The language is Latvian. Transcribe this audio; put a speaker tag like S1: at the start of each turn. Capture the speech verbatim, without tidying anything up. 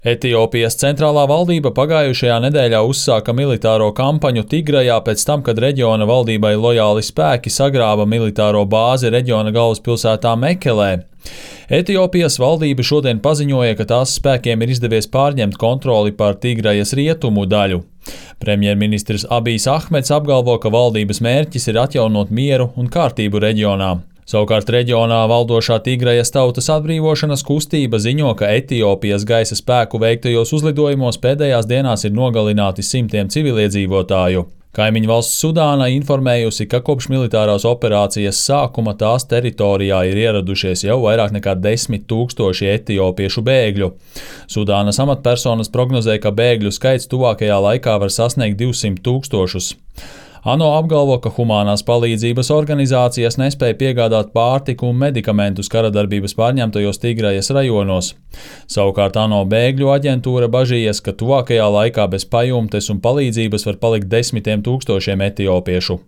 S1: Etiopijas centrālā valdība pagājušajā nedēļā uzsāka militāro kampaņu Tigrajā pēc tam, kad reģiona valdībai lojāli spēki sagrāva militāro bāzi reģiona galvaspilsētā Mekelē. Etiopijas valdība šodien paziņoja, ka tās spēkiem ir izdevies pārņemt kontroli pār Tigrajas rietumu daļu. Premjerministrs Abijs Ahmeds apgalvo, ka valdības mērķis ir atjaunot mieru un kārtību reģionā. Savukārt reģionā valdošā Tigrajas tautas atbrīvošanas kustība ziņo, ka Etiopijas gaisa spēku veiktajos uzlidojumos pēdējās dienās ir nogalināti simtiem civiliedzīvotāju. Kaimiņu valsts Sudāna informējusi, ka kopš militārās operācijas sākuma tās teritorijā ir ieradušies jau vairāk nekā desmit tūkstoši etiopiešu bēgļu. Sudānas amatpersonas prognozē, ka bēgļu skaits tuvākajā laikā var sasniegt divsimt tūkstošus. ANO apgalvo, ka humānās palīdzības organizācijas nespēja piegādāt pārtiku un medikamentus karadarbības pārņemtajos Tigrajas rajonos. Savukārt ANO bēgļu aģentūra bažījies, ka tuvākajā laikā bez pajumtes un palīdzības var palikt desmitiem tūkstošiem etiopiešu.